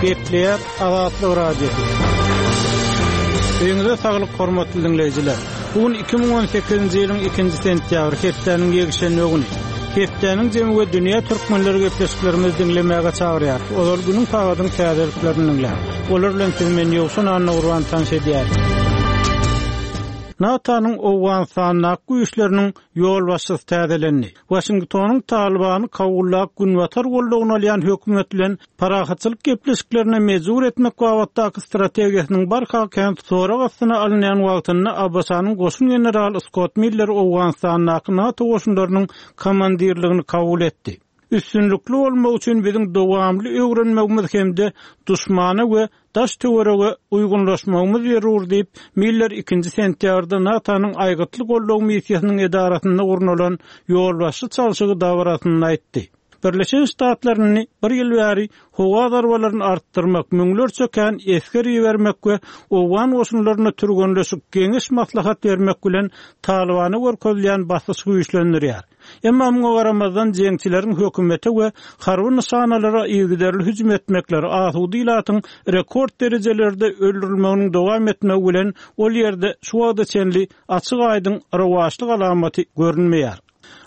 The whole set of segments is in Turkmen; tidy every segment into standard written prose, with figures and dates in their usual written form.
Gepleýär Azatlyk Radiosy. Öýüňize saglyk hormatly diňleýjiler. Bu gün 2018-nji ýylyň 2-nji sentýabry, hepdäniň ýekşenbe güni. Hepdäniň jemi we dünýä türkmenleri gepleşiklerimizi diňlemäge çagyrýar. Ozal günüň sagadyň täzeliklerini diňläň. Olar bilen sizi men Ýowşan Annagurban tanyş edýärin. NATO-nyň Owganystandaky güýçleriniň ýolbaşçysy täzelendi. Waşingtonyň Talybany Kabuldaky Günbatar goldawyny alýan hökümet bilen parahatçylyk gepleşiklerine mejbur etmek babatdaky strategiýasynyň barha kän sorag astyna alynýan wagtynda ABŞ-nyň goşun generaly Skott Miller Owganystandaky NATO goşunlarynyň komandirligini kabul etdi. Üstünlikli bolmak üçin biziň dowamly öwrenmegimiz hem-de duşmana we daş-töwerege uýgunlaşmagymyz zerur diýip, Miller ikinji sentýabrda NATO-nyň Aýgytly goldaw missiýasynyň edarasynda gurnalan ýolbaşçy çalşygy dabarasynda aýtdy. Birleşen Ştatlar indi bir ýyl bäri howa zarbalaryny artdyrmak, müňlerçe kän esger ibermek we owgan goşunlaryna türgenleşik, geňeş-maslahat bermek bilen Talybana görkezilýän basyşy güýçlendirýär. Emma muňa garamazdan, jeňçileriň hökümete we harby nyşanalara yzygiderli hüjüm etmekleri, asuda ilatyň rekord derejelerde öldürilmeginiň dowam etmegi bilen ol ýerde şu wagta çenli açyk-aýdyň rowaçlyk alamaty görünmeýär.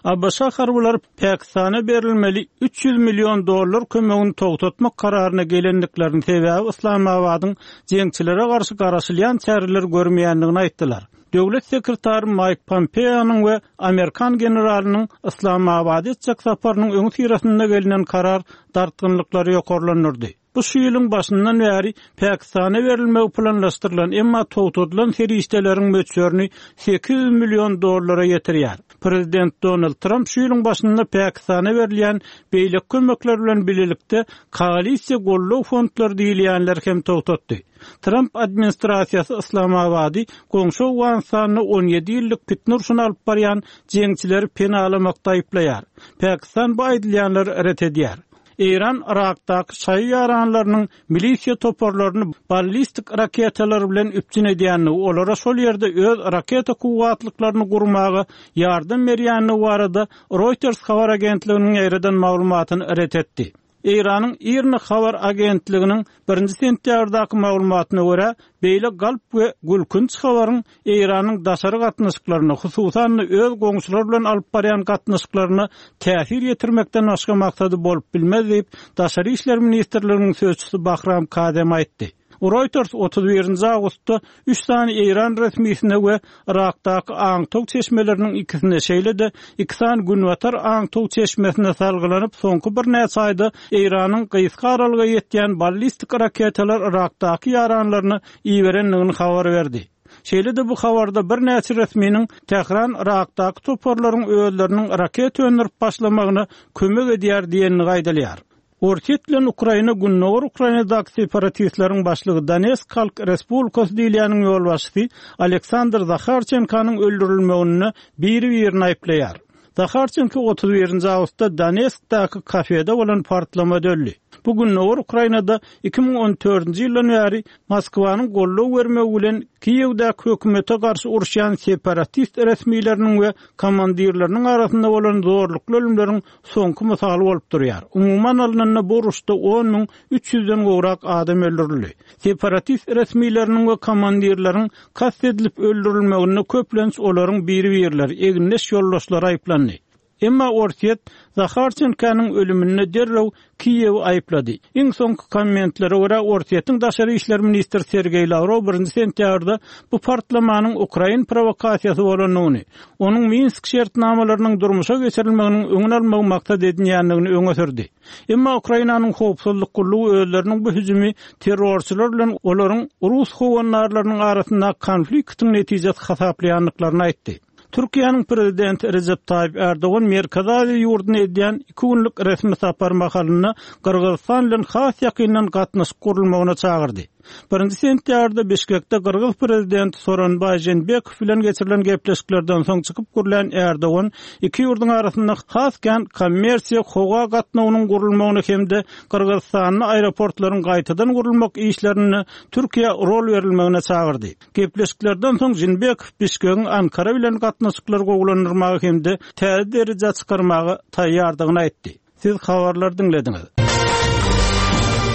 ABŞ harbylary Pakistana berilmeli 300 million dollar kömegini togtatmak kararyna gelendiklerini, sebäbi Yslamabadyň jeňçilere garşy garaşylýan çäreleri görmeýändigini aýtdylar. Döwlet sekretary Maýk Pompeonyň we amerikan generalynyň Yslamabada etjek saparynyň öňüsyrasynda gelnen karar dartgynlyklary ýokarlandyrdy. Bu şu ýylyň başyndan bäri Pakistana berilmegi planlaşdyrylan, emma togtadylan serişdeleriň möçberini 800 million dollara ýetirýär. Prezident Donald Tramp şu ýylyň başynda Pakistana berilýän beýleki kömekler bilen bilelikde koalisiýa goldaw fondlary diýilýänleri hem togtatdy. Tramp administrasiýasy Yslamabady goňşy Owganystanda 17 ýyllyk pitne urşuny alyp barýan jeňçileri penalamakda aýyplaýar. Pakistan bu aýdylýanlary ret edýär. Eýran Yrakdaky şaýy ýaranlarynyň milisiýa toparlaryny ballistik raketalar bilen üpjün edýändigi, olara şol ýerde öz raketa kuwwatlyklaryny gurmaga ýardam berýändigi barada Reuters habar agentliginiň ýaýradan maglumatyny ret etdi. Eýranyň IRNA habar agentliginiň birinji sentýabrdaky maglumatyna görä, beýle galp we gülkünç habaryň Eýranyň daşary gatnaşyklaryna, hususan-da öz goňşulary bilen alyp barýan gatnaşyklaryna täsir ýetirmekden başga maksady bolup bilmez diýip, Daşary işler ministrliginiň sözçüsi Bahram Kazem aýtdy. Reuters 31-nji awgustda üç sany eýran resmisine we Yrakdaky aňtaw çeşmeleriniň ikisine, şeýle-de iki sany günbatar aňtaw çeşmesine salgylanyp, soňky birnäçe aýda Eýranyň gysga aralyga ýetýän ballistik raketalar Yrakdaky ýaranlaryna iberendigini habar berdi. Şeýle-de bu habarda birnäçe resminiň Tähran Yrakdaky toparlaryň özleriniň raketa öndürip başlamagyna kömek edýär diýendigi aýdylýar. Orsýet bilen Ukraina Gündogar Ukrainadaky separatistleriň başlygy Donetsk Halk Respublikasy diýilýäniň ýolbaşçysy Aleksandr Zaharçenkonyň öldürilmeginde biri-birini aýyplaýar. Zaharçenko 31-nji awgustda Donetskdaky kafede bolan partlamada öldi. Bu Gündogar Ukrainada 2014-nji ýyldan bäri Moskwanyň goldaw bermegi bilen Kiýewdäki hökümete garşy uruşýan separatist resmileriniň we komandirleriniň arasynda bolan zorlukly ölümleriň soňky mysaly bolup durýar. Umuman alnanda bu uruşda 10 müň 300-den gowrak adam öldürildi. Separatist resmileriniň we komandirleriň kast edilip öldürilmeginde köplenç olaryň biri-birleri, egindeş ýoldaşlary aýyplandy. Emma Orsýet Zaharçenkonyň ölüminde derrew Kiýewi aýyplady. Iň soňky kommentlere görä, Orsýetiň daşary işler ministri Sergeý Lawrow birinji sentýabrda bu partlamanyň ukrain prowokasiýasy bolandygyny, onuň Minsk şertnamalarynyň durmuşa geçirilmeginiň öňüni almagy maksat edinýändigini öňe sürdi. Emma Ukrainanyň howpsuzlyk gullugy özleriniň bu hüjümi terrorçylar bilen olaryň rus howandarlarynyň arasyndaky konfliktiň netijesi hasaplaýandyklaryny aýtdy. Türkiýäniň Prezidenti Rejep Taýyp Ärdogan Merkezi Aziýa ýurduna edýän iki günlük resmi sapary mahalynda Gyrgyzystan bilen has ýakyndan gatnaşyk gurulmagyna çagyrdy. Birinji sentýabrda Bişkekde gyrgyz Prezidenti Soronbaý Jeenbekow bilen geçirilen gepleşiklerden soň çykyp gürlän Ärdogan iki ýurduň arasynda has kän kommersiýa howa gatnawynyň gurulmagyna hem-de Gyrgyzystanda aeroportlaryň gaýtadan gurulmak işlerinde Türkiýä rol berilmegine çagyrdy. Gepleşiklerden soň Jeenbekow Bişkegiň Ankara bilen gatnaşyklary gowulandyrmaga hem-de täze derejä çykarmaga taýýardygyny aýtdy. Siz habarlary diňlediňiz.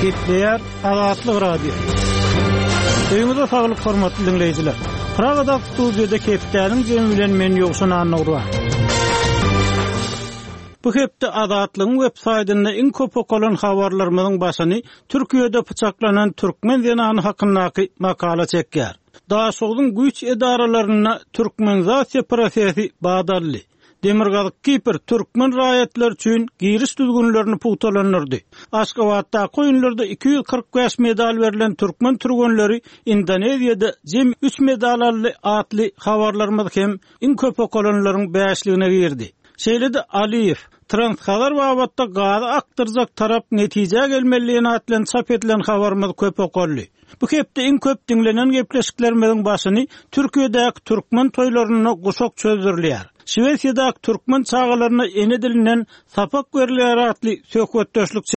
Gepleýär Azatlyk Radiosy. Öýüňize saglyk hormatly diňleýjiler. Pragadaky studiýada hepdäniň jemi bilen men Ýowşan Annagurban. Bu hepde Azatlygyň web saýtynda iň köp okalan habarlarymyzyň başyny Türkiýede pyçaklanan türkmen zenany hakyndaky makala çekýär. Daşogzuň güýç edaralarynda türkmenizasiýa prosesi bat aldy. Demirgazyk Kipr türkmen raýatlary üçin giriş düzgünlerini pugtalandyrdy. Aşgabatdaky oýunlarda 245 medal berlen türkmen türgenleri Indoneziýada jemi üç medal aldy atly habarlarymyz hem iň köp okalanlaryň bäşligine girdi. Şeýle-de Aliýew, Transhazar babatda gazy akdyrjak tarap netijä gelmeli diýen at bilen çap edilen habarymyz köp okaldy. Bu hepde iň köp diňlenen gepleşiklerimiziň başyny Türkiýedäki türkmen toýlarynda guşak çözdürilýär, Şwesiýadaky türkmen çagalaryna ene dilinden sapak berilýär atly söhbetdeşlik.